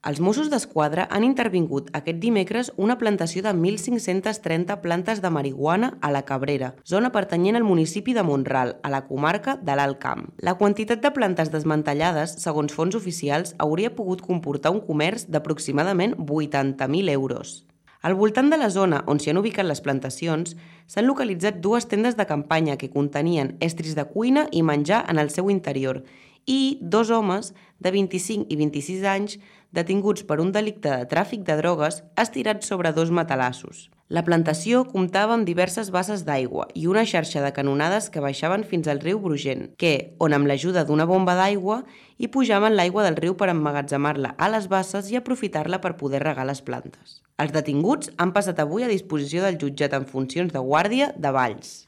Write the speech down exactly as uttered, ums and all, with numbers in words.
Els Mossos d'Esquadra han intervingut aquest dimecres una plantació de mil cinc-cents trenta plantes de marihuana a la Cabrera, zona pertanyent al municipi de Mont-ral, a la comarca de l'Alt Camp. La quantitat de plantes desmantellades, segons fonts oficials, hauria pogut comportar un comerç d'aproximadament vuitanta mil euros. Al voltant de la zona on s'hi han ubicat les plantacions, s'han localitzat dues tendes de campanya que contenien estris de cuina i menjar en el seu interior i dos homes de vint-i-cinc i vint-i-sis anys detinguts per un delicte de tràfic de drogues estirats sobre dos matalassos. La plantació comptava amb diverses basses d'aigua i una xarxa de canonades que baixaven fins al riu Brugent, que, on amb l'ajuda d'una bomba d'aigua, hi pujaven l'aigua del riu per emmagatzemar-la a les basses i aprofitar-la per poder regar les plantes. Els detinguts han passat avui a disposició del jutjat en funcions de guàrdia de Valls.